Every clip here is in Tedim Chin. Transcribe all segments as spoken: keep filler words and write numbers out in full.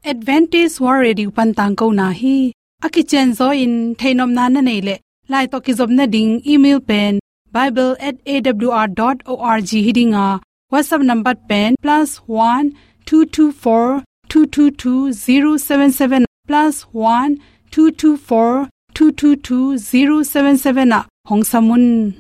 Adventist World Radio pan tangkona hi. A kicianzaw in theihnopna na neih leh, lai tawh kizopna ding email pen bible at A W R dot org hi ding a, WhatsApp number pen plus one two two four two two two zero seven seven, plus one two two four two two two zero seven seven ah hong sam un.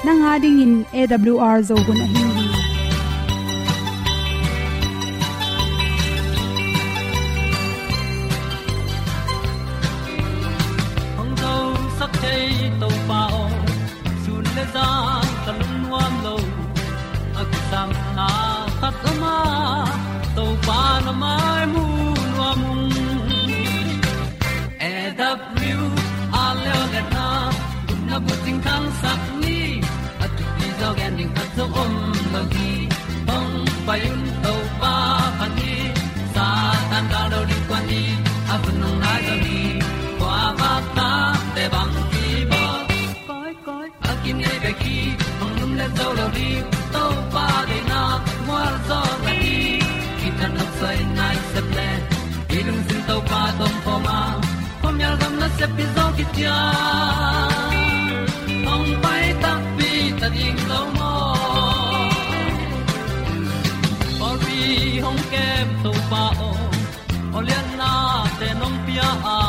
Nang a dingin A W R Zo hun ahi hi. Hong zosak thei Topa aw, sun le zan ka lungnuam lo. A kisam na khat om a, Topa na mai mu nuam ung. A W R leo le na, na bucing khangsak ni, a thupi zaw gen ding khat zong om lo hi. Hong pai un Topa phat ni, Satan gal lo ding kuan ni, a hun hong nai zaw ni, kua vak ta te bang ki bawl. Koi, koi, a kinei bek hi, hong lum le zo lo ding, Topa deihna mual zaw na hi. Kitang nok soi nai sep le, i lungsim Topa tawh om khawm a, khuamial gam nasep pi zaw kician, hong pai takpi ta ding lo maw. Pawlpi hong kem Topa aw, aw lianna te nong pia a,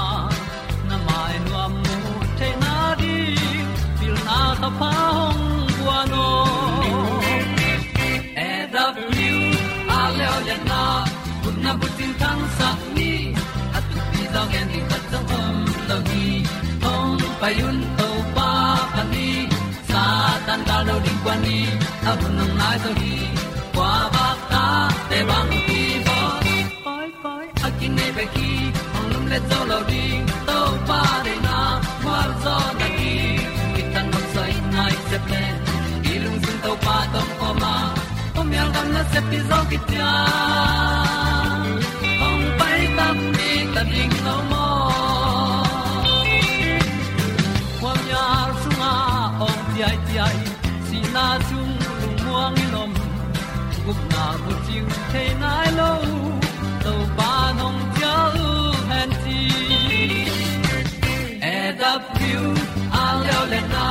na mai nuam mu theihna ding, pilna thapha hong guan aw. A W R leo le na, gupna bucing khangsak ni, a thupi zaw gen ding khat zong om lo hi. Hong pai un Topa phat ni, Satan gal lo ding kuan ni, a hun hong nai zaw hi. Kua vak ta te bang ki bawl. Koi, koi, a kinei bek hi, hong lum le zo lo ding, Topa deihna mual zaw na hi. Kitang nok soi nai sep le, i lungsim Topa tawh om khawm a, khuamial gam nasep pi zaw kician, hong pai takpi ta ding lo maw. Khuamial sungah awng ciaiciai, sihna sung lungmuang in om, gupna bucing thei nai lo, Topa nong cial hen ci. A W R leo le na,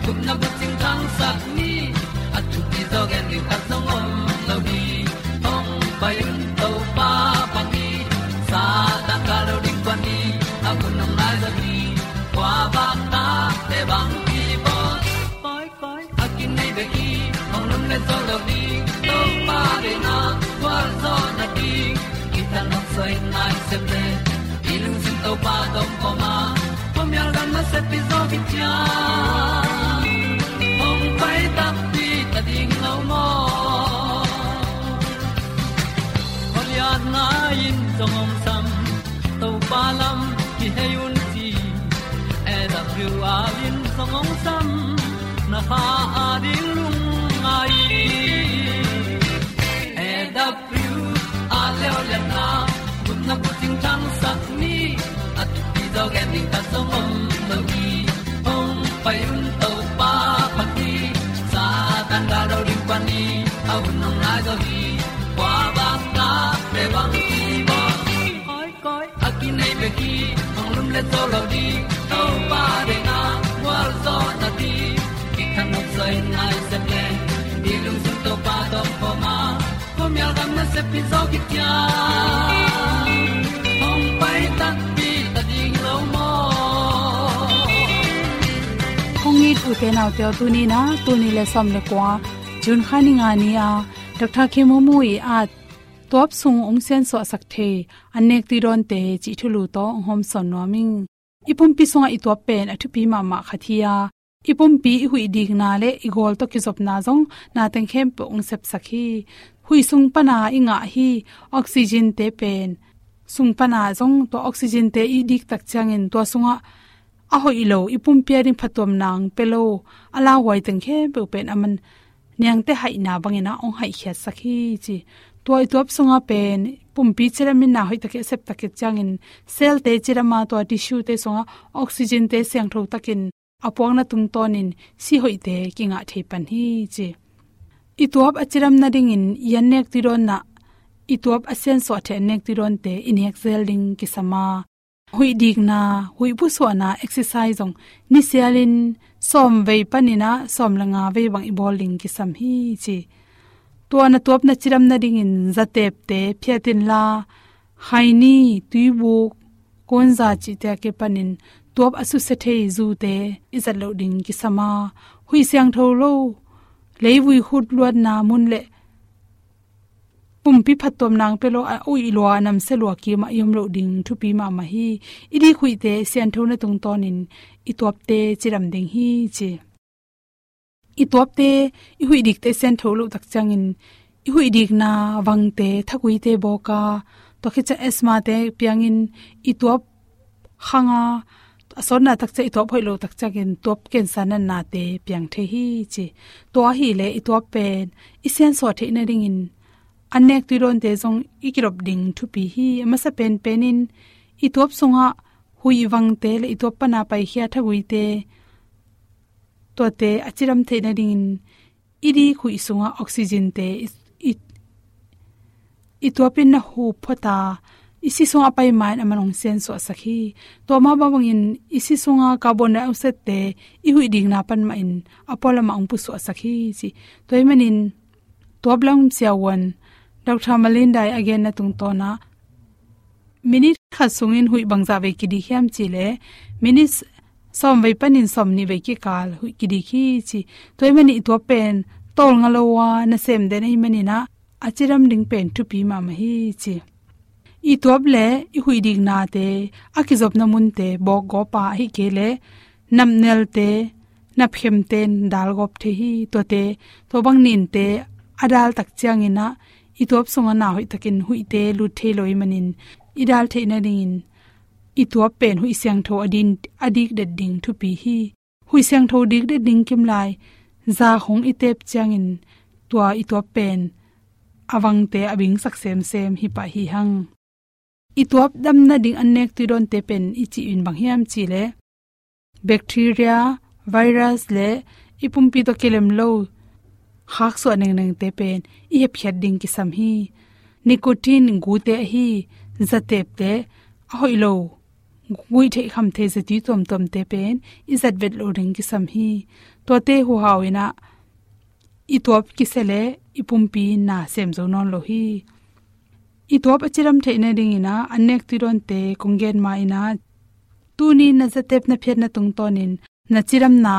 gupna bucing khangsak ni, a thupi zaw gen ding khat zong om lo hi. Hong pai un Topa phat ni, Satan gal lo ding kuan ni, a hun hong nai zaw hi. Kua vak ta te bang ki bawl. Koi, koi, a kinei bek hi, hong lum le zo lo ding, Topa deihna mual zaw na ding. Kitang nok soi nai sep le, i lungsim Topa tawh om khawm a, khuamial gam nasep pi zaw kician, hong pai takpi ta ding lo maw. Khualiatna in zong hong sam, Topa lam kihei un ci. A W R in zong hong sam, na kha a ding lungngai. A W R leo le na, gupna bucing khangsak ni, a thupi zaw gen ding khat zong om lo hi. Hong pai un Topa phat ni, Satan gal lo ding kuan ni, a hun hong nai zaw hi. Kua vak ta te bang ki bawl. Koi, koi, a kinei bek hi, hong lum le zo lo ding, Topa deihna mual zaw na ding. Kitang nok soi nai sep le, i lungsim Topa tawh om khawm a, khuamial gam nasep pi zaw kician, hong pai takpi ta ding lo maw. Kong it u te nau te aw, tuni na, tul nih le sawm le kua, June kha ni nga ni a, Doctor Khemumu i at tuap sung hong siansuahsak thei an nek tui dawnte cih thulu tawh hong hawmsawn nuam ing. I pumpi sungah i tuap pen a thupi mahmah khat hi a, i pumpi i huih dikna le i gawl tawh kizopna zong na teng khempeuh hong sepsak hi. Huih sung pana i ngah hi. Oxygen te pen sung pana zong tua oxygen te i dik tak ciangin tua sungah a hoih lo, i pumpi a ding phattuamna hong pia lo a lauhuai teng khempeuh pen aman niangte haihna bangin ah hong haihkhiatsak hi ci. Tua i tuap sungah pen pumpi cidam in na hoih takin a sep tak ciangin cell te cidam a, tua tissue te sungah oxygen te siangtho takin a puakna tungtawnin si hoihte kingah thei pan hi ci. I tuap a cidam nadingin i annek tuidawnna, i tuap a siansuah thei annek tuidawnte i nek zel ding kisam a, huih dikna, huih pusuahna, exercise zong nisialin sawm vei panin ah sawm le nga vei bang i bawl ding kisam hi ci. Tua na tuap na cidam nadingin zatepte phiat inla, khaini, tuibuk, kuanza cihte a kipanin tuap a susia thei zute i zat loh ding kisam a, huih siangtho lo, leivui khut luatna mun le pumpi phattuamna hong pia lo a uih lua, a namsia lua kimah i om loh ding thupi mahmah hi. I dik huihte sianthona tungtawnin i tuapte cidam ding hi ci. I tuapte, i huih dikte siantho loh tak ciangin i huih dikna vangte, thakuite bawk a, tua khit ciang asthma te piangin i tuap khang a, a sawtna tak ciang i tuap hoih loh tak ciangin tuap cancer natnate piang thei hi ci. Tua ahih leh i tuap pen i siansuah theih nadingin annek tuidawnte zong i kidop ding thupi hi. A masa penpenin i tuap sungah huih vangte le i tuap pana paikhia thakuite, tuate a cidam theih nadingin i dik huih sungah oxygen te i, i, i tuapin na hup phot a, i si sungah a pai ma-in aman hong siansuahsak hi. Tua mah bang bangin i si sungah carbon dioxide te i huih dikna pan mahin a pualamah hong pusuahsak hi ci. Tua ahih manin tuap lam siavuan Doctor Melinda i a genna tungtawnah minute khat sungin huih bangzah vei kidik hiam cih leh minute sawm vei panin sawm nih vei kikal huih kidik hi ci. Tua ahih manin i tuap pen tawlnga lo a nasem den ahih manin ah a cidam ding pen thupi mahmah hi ci. I tuap le i huih diknate a kizopna munte bawkgawp a, ahih kei leh napnelte, napkhemte in dalgawp thei hi. Tuate, tua bang ninte a dal tak ciangin ah i tuap sungah na hoih takin huihte lut thei lo ahih manin i dal theih nadingin i tuap pen huih siangtho a din, a dikdet ding thupi hi. Huih siangtho dikdet ding kimlai za hong i tep ciangin tua i tuap pen a vangte a bingsak semsem hi pah hi hang. I tuap dam nading annek tuidawnte pen i cih in bang hiam cih leh bacteria, virus le i pumpi tawh kilem lo khaksuah nengnengte pen i hepkhiat ding kisam hi. Nicotine gute ahi zatepte, a hoih lo, guih theih kham thei zatui tuamtuamte pen i zat vet lo ding kisam hi. Tuate huhau in ah i tuap kisia leh i pumpi na sem zo nawn lo hi. I tuap a cidam theih nadingin ah annek tuidawnte kong gen ma-in ah tuni na zatep na phiatna tungtawnin na cidamna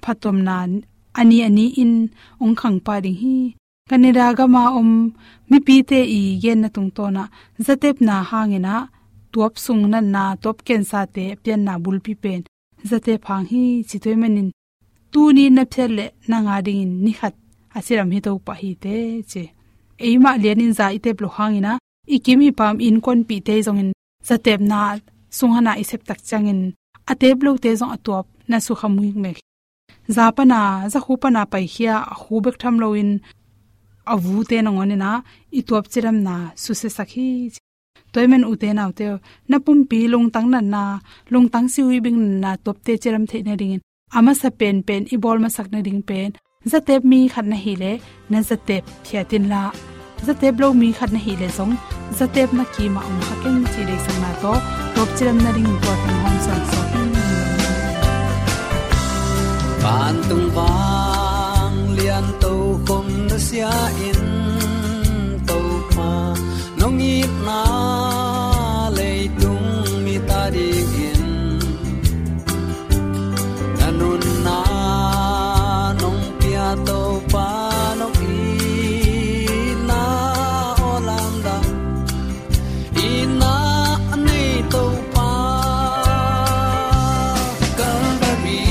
phattuamna a ni a ni-in hong khang pah ding hi. Canada gama om mipite i genna tungtawnah zatepna hangin ah tuap sung natna, tuap cancer te a pianna bulpi pen zatep hang hi ci. Tua ahih manin tuni na phiat leh nang a dingin ni khat a cidam hi to pah hi teh ci. Eimah lianin za i tep loh hangin ah i kim i pam innkuanpihte zongin zatepna sung hana i sep tak ciangin a tep lote zong a tuap na sukha muikmek. Za pana, za khu pana paikhia a khu bek tham loin a vute nangawn in ah i tuap cidamna susiasak hi ci. Tua ahih manin ute naute, na pumpi lungtang natna, lungtang siuibing natna tuapte cidam theih nadingin a masa penpen i bawl masak nading pen zatep mi khat na hih leh na zatep phiat inla, zatep lo mi khat na hih leh zong zatep na kimah hong kha ken cih deihsakna tawh tuap cidam nadingin tua teng hong hawmsawn sawk hi. Vantung vanglian tokhom nusia in Topa, nong itna leitung mit a dingin na nunna nong pia Topa, nong itna aw lamdang itna nei Topa. Calvary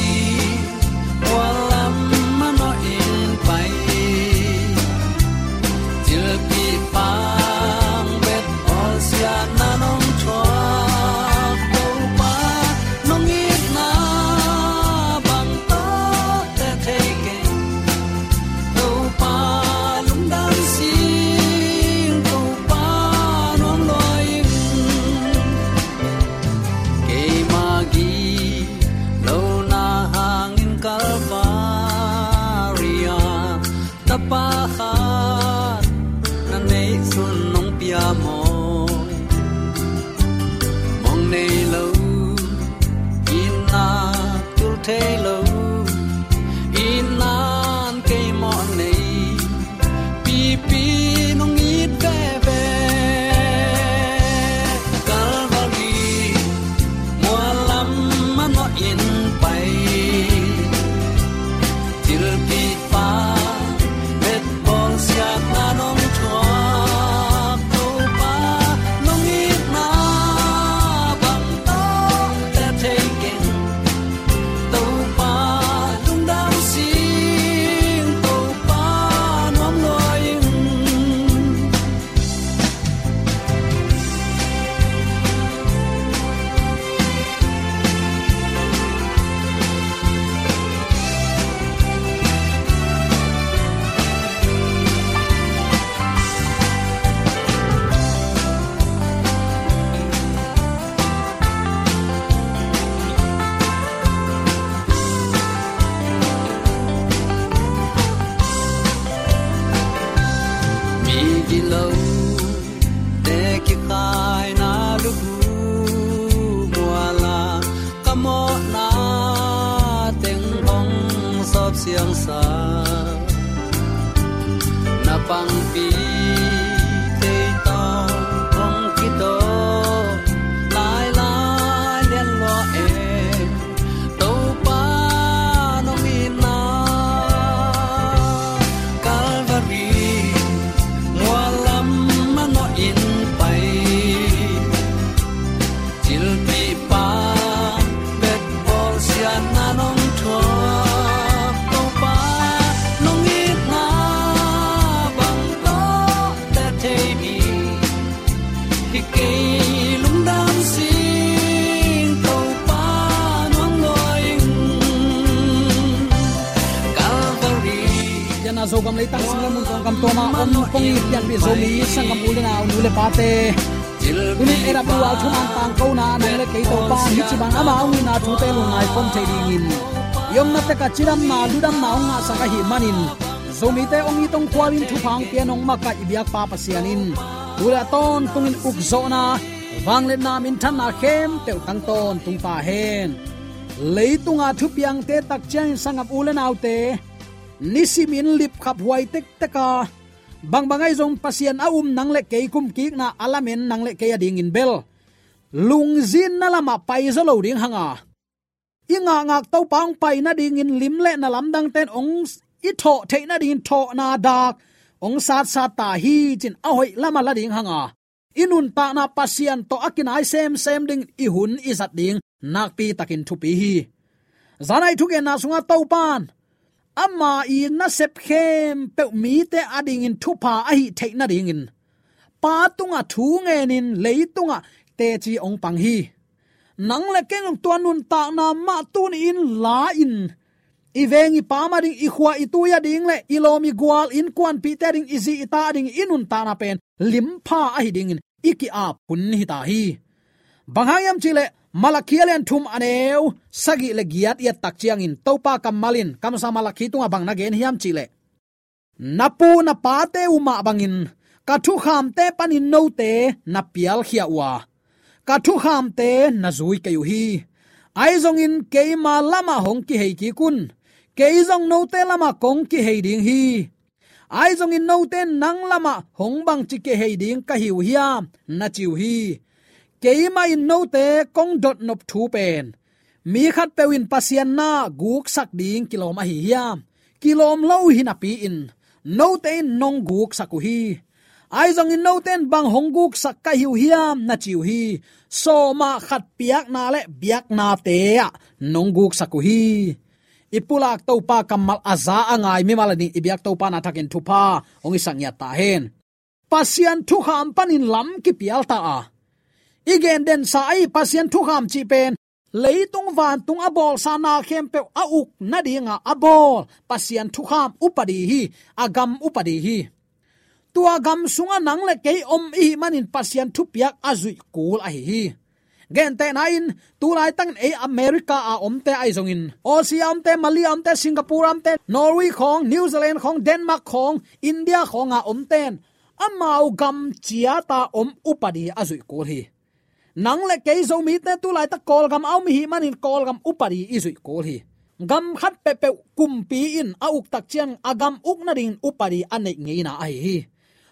Khat na neih sun nong pia maw? Mong nei lo, itna tul thei lo, itna in kei mawh nei, pipi nong it veve. Calvary mual lam manawh in pai, thilpihpa betbawl siatna nong thuak, Topa nong itna bang tawh te thei keng, Topa lungdam sing, Topa nuam lua ing. Mi gilo te kikhaina lukhu muala, ka mawhna teng hong sawp siangsa, na pangpi thei tawh hong kitawh lailai lian lua e. Topa nong itna Calvary mual lam manawh in pai, thilpihpa betbawl siatna nong thuak, Topa nong itna bang tawh te thei mi, hi kei lungdam sing, Topa nuam lua ing. Calvary. Pianna Zogam leitang sung le mun kawngkam tuama om kong it pianpih Zomi sanggam u le nau, nu le pate, tunin A W R thuman tangkona nang le kei Topa hih ci bang ama hong itna thute lungngai khawm thei dingin i omna tek ah cidamna ludamna hong ngahsak ahih manin, Zomite hong it hong khual in thupha hong pia nong makaih i biakpa Pasian in tu le a tawntungin ukzawhna, vangliatna, minthanna khempeuh tang tawntung ta hen. Leitunga thupiangte tak ciangin sanggam u le naute, nisimin lipkhaphuai tektek a, bangbang ahi zong Pasian a um nang le kei kumkikna a lamen nang le kei adingin bel lungzinna lamah paizaw lo ding hanga, i ngakngak Topa hong pai nadingin lim le na lamdangte in hong i thawh theih nadingin thawhna dak hong satsat ta hi ci-in a hoih lamah la ding hanga, i nuntakna Pasian tawh a kinai semsem ding i hun i zat ding nakpitakin thupi hi. Zanai thugenna sungah Topa in ama i nasep khempeuh mite adingin thupha ahi theih nadingin Pa tungah thu ngenin leitungah teci hong pang hi. Nang le kei zong tua nuntakna mah tuni-in la-in i veng i pam ading, i khua i tui ading le i lawm i gual, innkuanpihte ading, i zi i ta ading i nuntakna pen limpha ahi dingin i ki-ap hun hi ta hi. Bang hang hiam cihleh Malakhi a lian thum a neu sagih le giat i et tak ciangin Topa kammal in kamsang Malakhi tungah bang na gen hiam cihleh, na pu na pate uh mah bangin ka thukhamte panin note na pialkhia uh a, ka thukhamte na zui kei uh hi. Ahi zongin keima lamah hong kihei kik un, kei zong note lamah kong kihei ding hi. Ahi zongin note in nang lamah hong bangci kihei ding ka hi uh hiam, na ci uh hi. Keimah in note kong dotnop thu pen mi khatpeuh in Pasian na guksak ding kilawm ahi hiam? Kilawm lo uh hi napi-in note in nong guksak uh hi. Ahi zongin note in bang hong guksak ka hi uh hiam, na ci uh hi. Sawm ah khat piakna le biaknate ah nong guksak uh hi. I pulak Topa kammal a za a ngai mimal a ding i biak Topa na thakin thupha hong i sak ngiat ta hen. Pasian thukham panin lam kipial ta a, i gen densa ahi Pasian thukham cih pen leitung vantung a bawlsa na khempeuh a uk nadinga a bawl Pasian thukham upadi hi. A gam upadi hi. Tua gam sungah nang le kei om ihih manin Pasian thupiak a zuih kul ahi hi. Gentehna in, tu laitakin ei America a omte ahi zongin, Aussie a omte, Malay a omte, Singapore a omte, Norway khawng, New Zealand khawng, Denmark khawng, India khawng a omten amau gam ciata om upadi a zuih kul hi. Nang le kei Zomite tu laitak Kawlgam a om i hih manin Kawlgam upadi i zuih kul hi. Gam khat peuhpeuh kumpi in a uk tak ciang a gam uk nadingin upadi a neih ngeina ahi hi.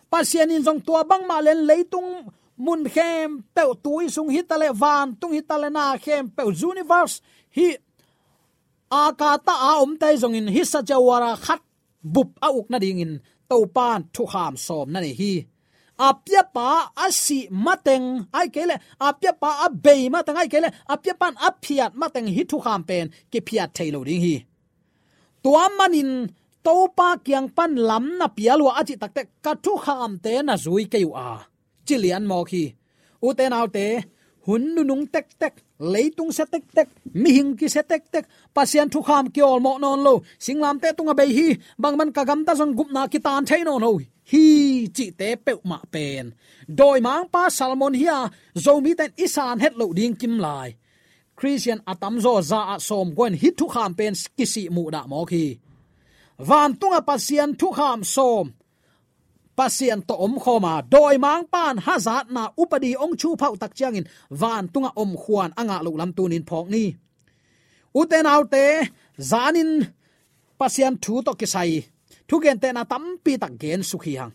Pasian in zong tua bangmah len leitung mun khempeuh, tui sung hitaleh vantung hitaleh na khempeuh, universe hi a kata a omte zongin hisa jawara khat bup a uk nadingin Topan thukham sawm na nei hi. A piapa a sih mateng, ahih kei leh a piapa a bei mateng, ahih kei leh a piapan a phiat mateng hih thukham pen kiphiat thei lo ding hi. Tua manin Topa kiang pan lam na pia lua a cih takteh ka thukhamte na zui kei uh a, ci lian mawk hi. Ute naute, hun nunung tektek, leitung sia tektek, mihing kisia tektek, Pasian thukham kiawlmawh nawn lo, singlamteh tungah bei hi, bangman ka gamta zong gupna kitan thei nawn lo hi, cihte peuhmah pen dawimangpa sermon hi a, Zomite in i san het loh ding kim lai. Khristian a tamzaw za ah sawmgua in hih thukham pen kisih muhdah mawk hi. Vantungah Pasian thukham sawm Pasian tawh omkhawm a, dawimangpan hazatna upadi hong chuphauh tak ciangin vantungah omkhuan a ngah loh lam tunin phawk ni. Ute naute, zanin Pasian thu tawh kisai thugentehna tampi tak gen suk hi hang.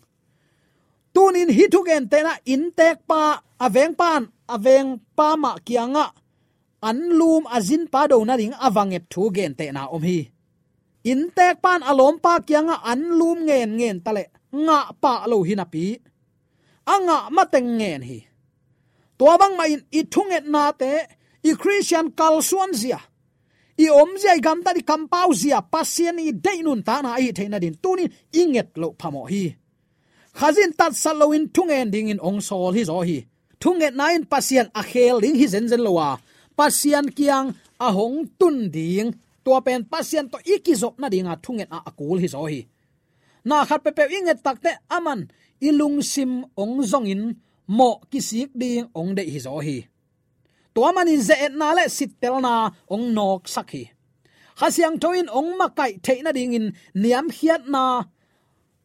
Tunin hih thugentehna inntekpa, a vengpan a vengpa mah kiangah anlum a zinpa do nading a va nget thu gentehna om hi. Inntekpan a lawmpa kiangah anlum ngenngen taleh ngah pah lo hi napi, a ngah mateng ngen hi. Tua bangmah in i thungetnate, i Khristian kalsuanzia, i omzia, i gamtat, i kampauzia Pasian i deih nuntakna ahi theih nadin tunin i nget loh phamawh hi. Khazih in tatsat loin thungen dingin hong sawl hi zaw hi. Thungetna in Pasian a khel ding hi zenzen lo a, Pasian kiang a hong tun ding, tua pen Pasian tawh i kizop nadinga thungetna a kul hi zaw hi. Na khat peuhpeuh i nget takteh aman i lungsim hong zongin mawh kisik ding hong deih hi zaw hi. Tua manin ze-etna le sittelna hong nawksak hi. Kha Siangtho in hong makaih theih nadingin niamkhiatna,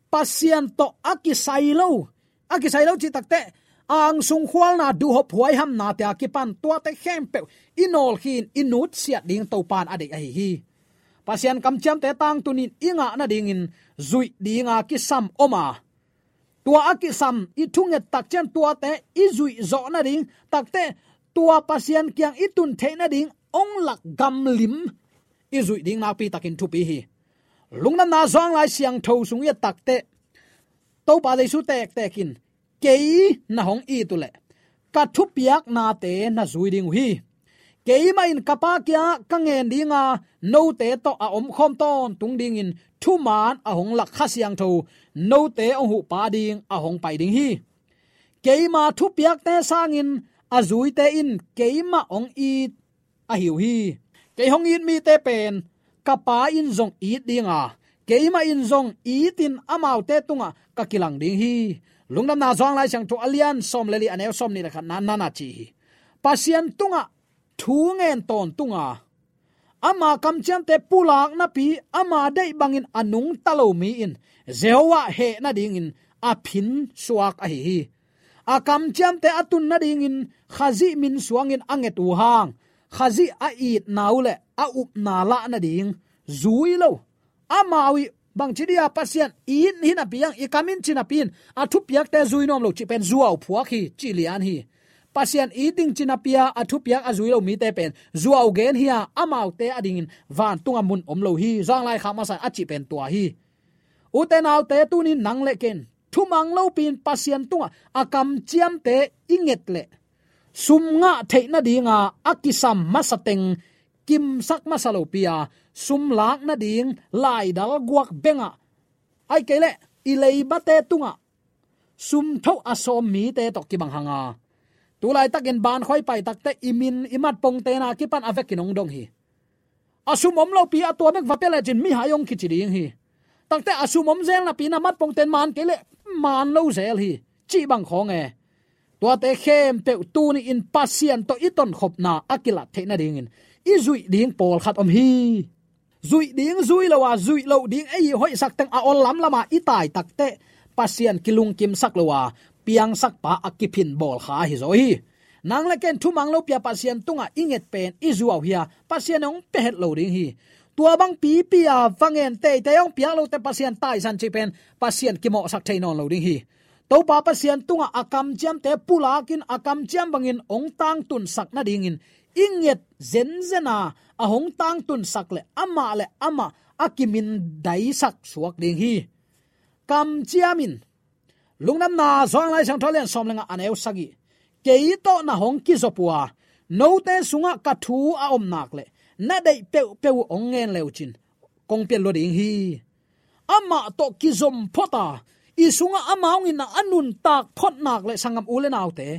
Pasian tawh a kisai lo, a kisai lo cih takteh angsung khualna, duhhop huaihamnate a kipan tuate khempeuh i nawlkhin i nutsiat ding Topan a deih ahi hi. Pasian kamciamte tangtunin i ngah nadingin zuih dinga kisam om a, tua a kisam i thunget tak ciang tuate i zuih zawh nading takteh, tua Pasian kiang i tun theih nading hong lak gamlim i zuih ding nakpi takin thupi hi. Lungdamna Zuanglai Siangtho sung i et takteh Topa Jesu tektek in, kei na hong it uhleh ka thupiaknate na zui ding uh hi. Keimah in ka Pa kiangah ka ngen dinga note tawh a omkhawm tawntung dingin thuman a hong lak Kha Siangtho note hong huhpa ding a hong pai ding hi. Keima thupiakte sangin a zuite in keimah hong it ahi uh hi. Kei hong it mite pen ka Pa in zong it dinga, keimah in zong itin amaute tungah ka kilang ding hi. Lungdamna Zuanglai Siangtho a lian sawm le li, a neu sawmnih le khatna nana ci hi. Pasian tungah thu ngen tawntunga, ama kamciamte pulak napi ama deih bangin a nungta lo mi in Jehovah heh nadingin a phin suak ahi hi. A kamciamte a tun nadingin Khazih min suangin a nget uh hang, Khazih a itna uh le a upna lah nading zui lo. Amau ih bangci dia Pasian it hi napi hang, i kam in ci napi in a thupiakte zui nuam lo cih pen zuau phuak hi, ci lian hi. Pasian it ding ci napi a a thupiak a zui lo mite pen zuau gen hi a, amaute adingin vantunga mun om lo hi. Zuanglai Khak Masa in a cih pen tua hi. Ute naute, tunin nang le ken thumang lopi in Pasian tungah a kamciamte i nget leh sum ngah theih nadinga a kisam masa teng kimsak masa lopi a, sum lak nading laidal guak bengah, ahih kei leh i leibate tungah sum thoh a sawm mite tawh kibang hanga, tu laitakin bankhuai pai takteh i min i matpongtena kipan a vekin hong dong hi. A sum om lopi a tua bek va pia lecin mihai hong kici ding hi. Takteh a sum om zel napi in a matpongten man kei leh man lo zel hi, cih bang khawng e. Tuate khempeuh tuni-in Pasian tawh i tonkhopna a kilat theih nadingin i zuih ding pawlkhat om hi. Zuih ding zui lo a, zuih loh ding ei hoihsak teng a ol lamlam a i tai takteh Pasian kilungkimsak lo a, piangsakpa a kiphin bawlkha ahi zaw hi. Nang le ken thumang lopi a Pasian tungah i nget pen i zuau hi a, Pasian hong pia het lo ding hi. Tua bang pipi a va ngen teitei hong piak lote Pasian taisan cih pen Pasian kimawhsak thei nawn lo ding hi. Topa Pasian tungah a kamciamte pulakin a kamciam bangin hong tangtunsak nadingin i nget zenzen a, a hong tangtunsak le amah le amah a kimindaisak suak ding hi. Kamciam in, Lungdamna Johan Lai Siangtho a lian sawm le nga a neu sagih, kei tawh na hong kizop uh a, note sungah ka thu a om nak le na deih peuhpeuh uh hong ngen le uh cin kong pian lua ding hi. Amah tawh kizom phot a, i sungah ama hong itna a nuntak phot nak le sanggam u le naute,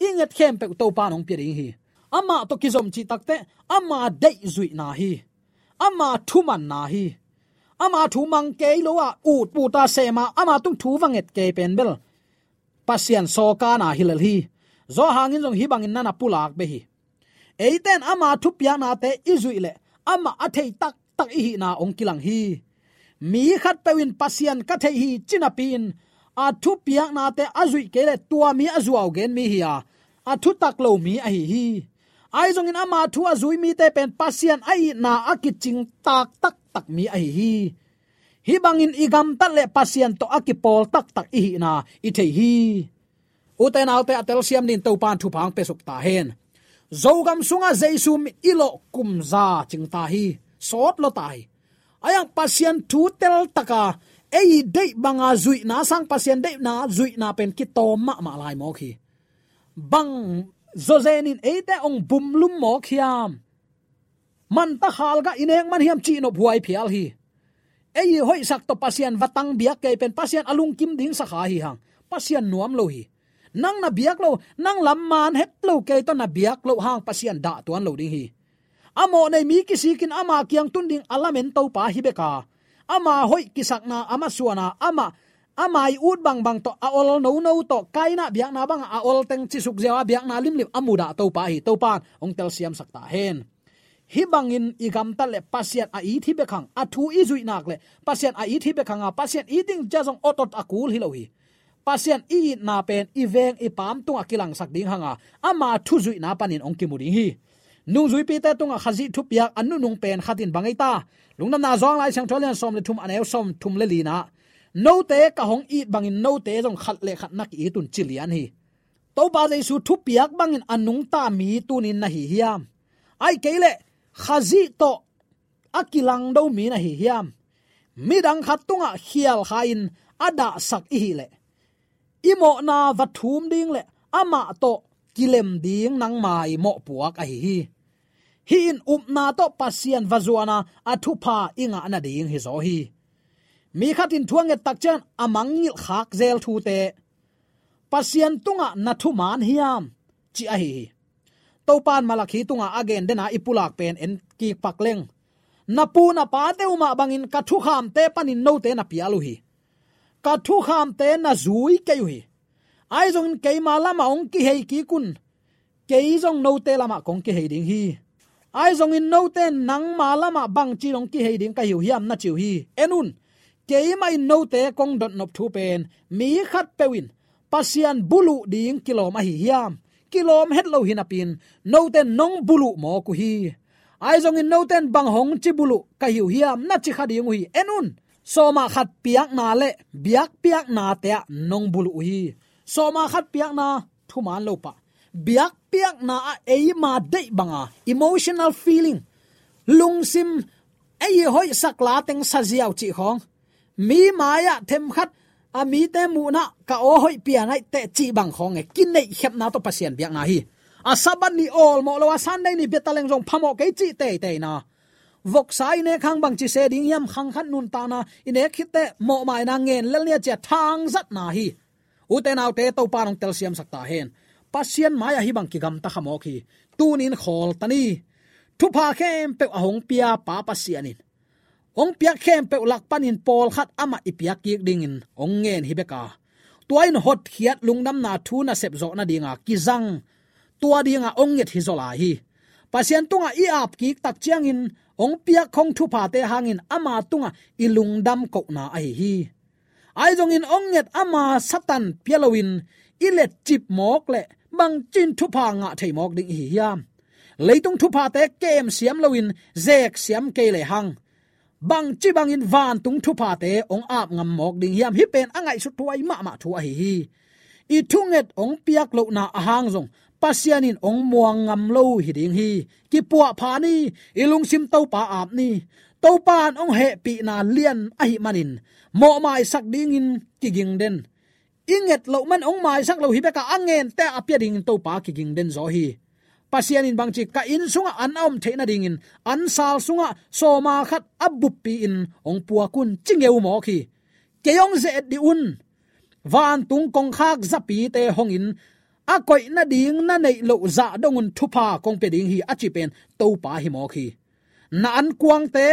i nget khempeuh Topa in hong pia ding hi. Amah tawh kizom cih takteh ama deih zuihna hi. Ama thumanna hi. Ama thu mang kei lo a, ut ut a sem a, ama tung thu va nget kei pen bel Pasian sawkana hi lel hi. Zawhang in zong hih bangin na na pulak beh hi. Eite in ama thupiaknate i zuih leh amah a thei taktak i hihna hong kilang hi. Mi khatpeuh in Pasian ka thei hi ci napi-in a thupiaknate a zuih kei leh tua mi a zuau gen mi hi a, a thutak lo mi ahi hi. Ahi zongin ama thu a zui mite pen Pasian a itna a kicing tak taktak mi ahi hi. Hih bangin i gamtat le Pasian tawh a kipawl taktak i hihna i thei hi. Ute naute, a telsiam dingin Topa in thupha hong piasuk ta hen. Zogam sungah Jesu mit i lawh kum za cing ta hi. Sawt lua ta hi. Ahi zongin Pasian thu teltaka ei deih banga zuihna sang Pasian deihna zuihna pen kitawm mahmah lai mawk hi. Bang zawzen in eite hong bumlum mawk hiam? Manta khalgah i nek man hiam cih nop huai phial hi. Ei i hoihsak tawh Pasian va tang biak kei pen Pasian a lungkim ding sakha hi hang. Pasian nuam lo hi. Nang na biak lo, nang lam man het lo kei tawh na biak loh hang Pasian dah tuan lo ding hi. A mawhnei mi kisikin ama kiang tun ding a lamen Topa hi beka. Ama hoih kisakna, ama suana, ama, ama i ut bangbang tawh, a ol nono tawh, Kaina biakna banga a ol teng cisuk ziau a biakna limlim a mudah Topa hi. Topa in hong telsiamsak ta hen. Hih bangin i gamtat le Pasian a it hi bek hang, a thu i zuih nak le Pasian a it hi bek hanga, Pasian it ding cia zong otot a kul hi lo hi. Pasian i itna pen i veng i paam tungah kilangsak ding hanga, ama thu zuihna panin hong kimu ding hi. Nungzuipite tungah Khazih thupiak a nunung pen khatin bang ei ta? Lungdamna Johan Lai Siangtho a lian sawm le thum a neu sawm thum le lina, note ka hong it bangin note zong khat le khat na ki-it un ci lian hi. Topa Jesu thupiak bangin a nungta mi tunin na hi hiam? Ahih kei leh Khazih tawh a kilangdo mi na hi hiam? Midang khat tungah khial kha-in a dahsak i hih leh i mawhna va thum ding le amah tawh kilem ding nangma i mawhpuak ahi hi. Hih in upna tawh Pasian va zuana a thupha i ngah nading hi zaw hi. Mi khat in thu a nget tak ciang a mangngilh khak zel thute, Pasian tungah na thuman hiam, ci ahi hi. Topa in Malakhi tungah a gen dena i pulak pen en kik pak leng. Na pu na pate uh mah bangin ka thukhamte panin note na pial uh hi. Ka thukhamte na zui kei uh hi. Ahi zongin keima lamah hong kihei kik un. Kei zong note lamah kong kihei ding hi. Ahi zongin note in nangma lamah bangci in hong kihei ding ka hi uh hiam na ci uh hi. En un, keimah in note kong dotnop thu pen mi khatpeuh in Pasian buluh ding kilawm ahi hiam? Kilawm het lo hi napi-in note in nong buluh mawk uh hi. Ahi zongin note in bang hong ci buluh ka hi uh hiam na ci kha ding uh hi. En un, sawmah khat piakna le biakpiaknate ah nong buluh uh hi. Sawmah khat piakna thuman lo pah, biakpiakna ah eima deih banga emotional feeling, lungsim, ei i hoihsak la teng saziau cih khawng, mi mai-ah themkhat a mite muhna ka aw hoih pian aih teh cih bang khawng e, kineihkhepna tawh Pasian biakna hi. A Sabbath ni awlmawh lo a Sunday ni bia taleng zong phamawh kei cih teiteina. Voksa i nek hang bangci se ding hiam, khang khat nuntakna i nek khit teh mawhmaina ngen lel nia cia thangzatna hi. Ute naute, Topa in hong telsiamsak ta hen. Pasian mai-ah hih bang kigamta kha mawk hi. Tunin khawl ta ni. Thupha khempeuh a hong pia Pa Pasian in hong piak khempeuh lak panin pawlkhat amah i piak kik dingin hong ngen hi bek a, tua in hotkhiat lungdamna thu nasep zawh nadinga kizang, tua dinga hong nget hi zaw lai hi. Pasian tungah i ap kik tak ciangin hong piak khong thuphate hangin ama tungah i lungdam kohna ahi hi. Ahi zongin hong nget ama Satan pia loin i letcip mawk leh bangcin thupha ngah thei mawk ding i hi hiam? Leitung thuphate kem siam loin zek siam kei lehang bangci bangin vantung thuphate hong ap ngam mawk ding hiam? Hih pen a ngaihsut thuai mahmah thu ahi hi. I thunget hong piak lohna ahang zong Pasian in hong muang ngam lo hi ding hi. Kipuahpha ni, i lungsim Topa ap ni. Topa in hong hehpihna lian ahih manin mawhmaisak dingin kiging den. I nget loh man hong maisak lo hi bek a, a ngente a pia dingin Topa kiging den zaw hi. Pasian in bangci, ka inn sungah an a om theih nadingin an sal sungah sawma khat a buppi-in hong puak un, ci ngeu mawk hi. Kei hong ze-et dih un. Vantung kongkhak zapite hongin a koih nading na neih loh zah dongun thupha kong pia ding hi, a ci pen Topa hi mawk hi. Na ankuangte,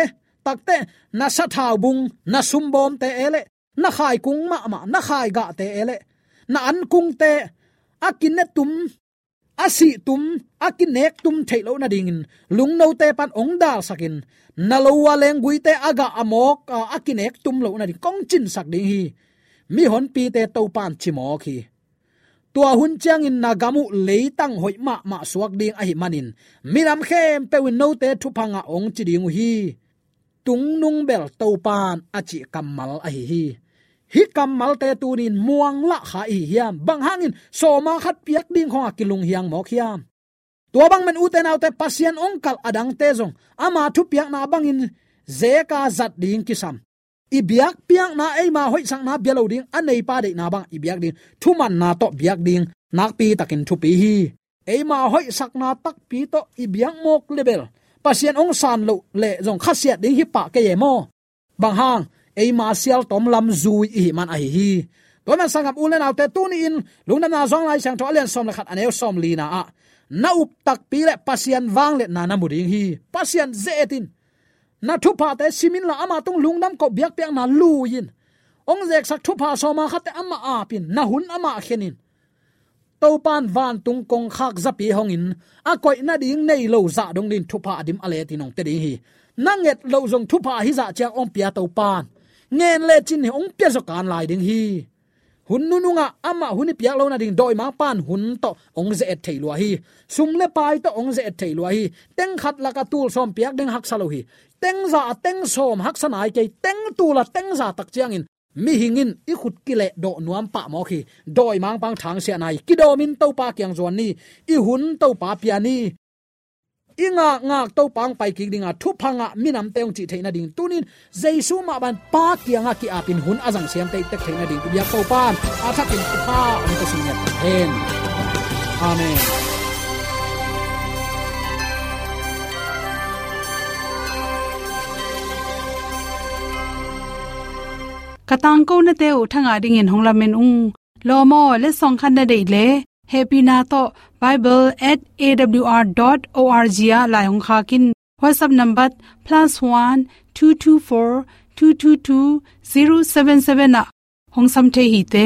takte, na sathau bung, na sumbawmte e leh, na khaikung mahmah, na khaigahte e leh, na ankungte, a kinetum, a sihtum, a kinektum theih loh nadingin lungnote pan hong dalsakin, na lo a lengguite a gah a mawk a, a kinektum loh nading kong cinsak ding hi. Mihonpite Topa in ci mawk hi. Tua hun ciangin na gam uh leitang hoih mahmah suak ding ahih manin minam khempeuh in note thupha ngah hong ci ding uh hi. Tungnung bel Topa in a cih kammal ahi hi. Hih kammalte tuni-in muang lah kha i hi hiam? Bang hangin sawma khat piak ding khong a kilunghiang mawk hiam? Tua bang man ute naute, Pasian hong kalh adangte zong ama thupiakna bangin zeka zat ding kisam. I biakpiakna, eima hoihsakna bia lo ding, a neipa deihna bang i biak ding, thumanna tawh biak ding nakpi takin thupi hi. Eima hoihsakna takpi tawh i biak mawk leh bel Pasian hong san loh leh zong khasiat ding hi pah kei e maw? Bang hang, eima sialtawm lam zui i hih man ahi hi. Tua man sanggam u leh naute, tuni-in Lungdamna Zong Lai Siangtho a lian sawm leh khat, a neu sawm lina ah, na up takpi leh Pasian vangliatna na mu ding hi. Pasian ze-et in. Na thuphate sim inla, ama tung lungdam koh, biakpiakna lui in. Hong zeksak thupha sawma khatte amah ap in, na hun amah khen in. Topa in vantung kongkhak zapi hongin a koih nading nei lo zah dong dingin thupha a dim a letin hong pia ding hi. Na nget loh zong thupha ahi zah ciang hong pia Topa in ngen lecin hong pia zaw kan lai ding hi. Hun nunungah amah hun i piak loh nading dawimangpa in hun tawh hong ze-et thei lua hi. Sum leh pai tawh hong ze-et thei lua hi. Teng khat lakah tul sawm piak ding haksa lo hi. Teng za a teng sawm haksa nai kei, teng tul a teng za tak ciangin mihing in i khut kileh dawh nuam pah mawk hi. Dawimangpa in thangsiahna hi. Kidawmin Topa kiang zuan ni. I hun Topa pia ni. I ngakngak Topa hong pai kik dinga, thupha ngah minamte hong cih theih nading, tuni-in Jesu mah bang Pa kiangah ki-apin hun a zang siam tektek theih nading i biak Topa in a thakin thupha hong pia sung ngiat hen. Amen. Ka tangkonate uh thangah dingin hong lamen ung. Lawm aw, letsong khat na deih leh, hehpihna tawh bible at A W R dot O R G ah lai hong khak in. WhatsApp number plus one two two four two two two zero seven seven ah hong sam thei hi te.